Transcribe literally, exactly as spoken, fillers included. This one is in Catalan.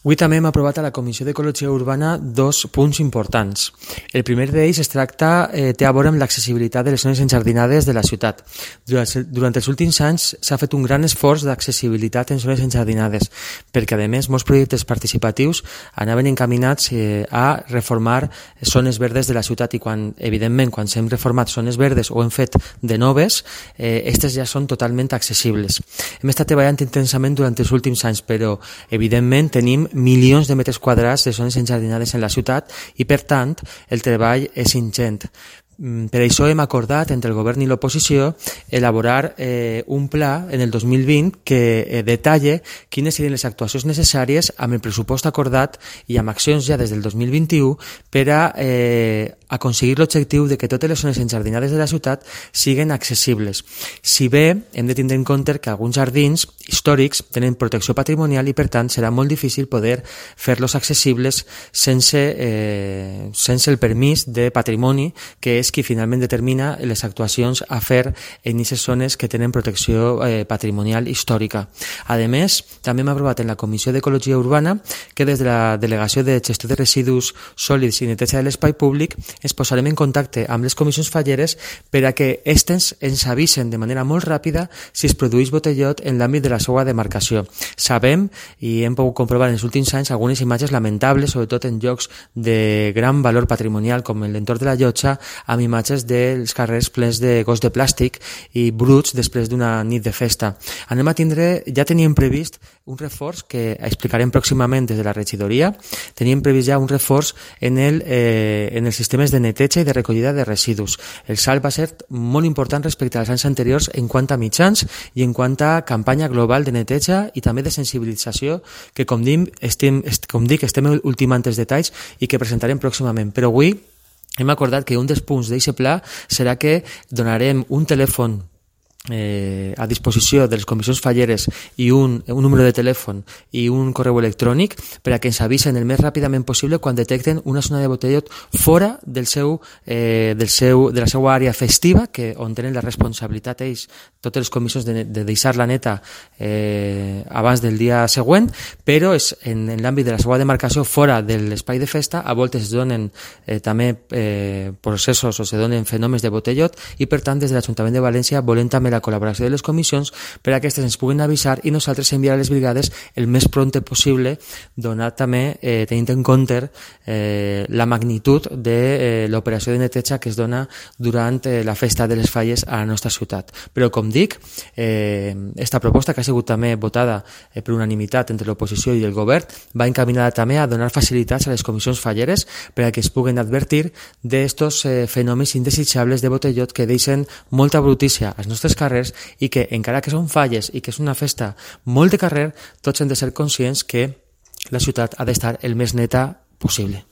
Avui també hem aprovat a la Comissió d'Ecologia Urbana dos punts importants. El primer d'ells es tracta, eh, té a veure amb l'accessibilitat de les zones enjardinades de la ciutat. Durant, durant els últims anys s'ha fet un gran esforç d'accessibilitat en zones enjardinades, perquè a més molts projectes participatius anaven encaminats eh, a reformar zones verdes de la ciutat i quan, evidentment, quan s'hem reformat zones verdes o hem fet de noves, eh, aquestes ja són totalment accessibles. Hem estat treballant intensament durant els últims anys, però evidentment tenim milions de metres quadrats de zones enjardinades en la ciutat i, per tant, el treball és ingent. Per això hem acordat entre el govern i l'oposició elaborar eh, un pla en el dos mil vint que eh, detalle quines serien les actuacions necessàries amb el pressupost acordat i amb accions ja des del dos mil vint-i-u per a eh, aconseguir l'objectiu de que totes les zones enjardinades de la ciutat siguin accessibles. Si bé hem de tindre en compte que alguns jardins històrics tenen protecció patrimonial i per tant serà molt difícil poder fer-los accessibles sense, eh, sense el permís de patrimoni que és qui finalment determina les actuacions a fer en aquestes zones que tenen protecció eh, patrimonial històrica. A més, també hem aprovat en la Comissió d'Ecologia Urbana que des de la Delegació de Gestió de Residus Sòlids i Neteja de l'Espai Públic ens posarem en contacte amb les comissions falleres per a que aquestes ens avisen de manera molt ràpida si es produeix botellot en l'àmbit de la seva demarcació. Sabem, i hem pogut comprovar en els últims anys, algunes imatges lamentables, sobretot en llocs de gran valor patrimonial com en l'entorn de la Llotja, amb imatges dels carrers plens de gos de plàstic i bruts després d'una nit de festa. Anem a tindre, ja teníem previst un reforç que explicarem pròximament des de la regidoria, teníem previst ja un reforç en, el, eh, en els sistemes de neteja i de recollida de residus. El salt va ser molt important respecte als anys anteriors en quant a mitjans i en quant a campanya global de neteja i també de sensibilització que, com dic, estem, com dic, estem ultimant els detalls i que presentarem pròximament. Però avui hem acordat que un dels punts d'aquest pla serà que donarem un telèfon Eh, a disposició de les comissions falleres i un, un número de telèfon i un correu electrònic per a que ens avisen el més ràpidament possible quan detecten una zona de botellot fora del seu, eh, del seu, de la seva àrea festiva, que on tenen la responsabilitat ells, totes les comissions de, de deixar-la neta eh, abans del dia següent, però és en, en l'àmbit de la seva demarcació fora de l'espai de festa. A voltes es donen eh, també eh, processos o se donen fenòmens de botellot i per tant des de l'Ajuntament de València volem també la col·laboració de les comissions per a que aquestes ens puguin avisar i nosaltres enviar a les brigades el més prompte possible, donat també eh, tenint en compte eh, la magnitud de eh, l'operació de neteja que es dona durant eh, la festa de les falles a la nostra ciutat. Però com dic, eh, esta proposta que ha sigut també votada eh, per unanimitat entre l'oposició i el govern va encaminada també a donar facilitats a les comissions falleres per a que es puguen advertir d'estos eh, fenòmens indesitjables de botellot que deixen molta brutícia als nostres carrers i que, encara que són falles i que és una festa molt de carrer, tots hem de ser conscients que la ciutat ha d'estar el més neta possible.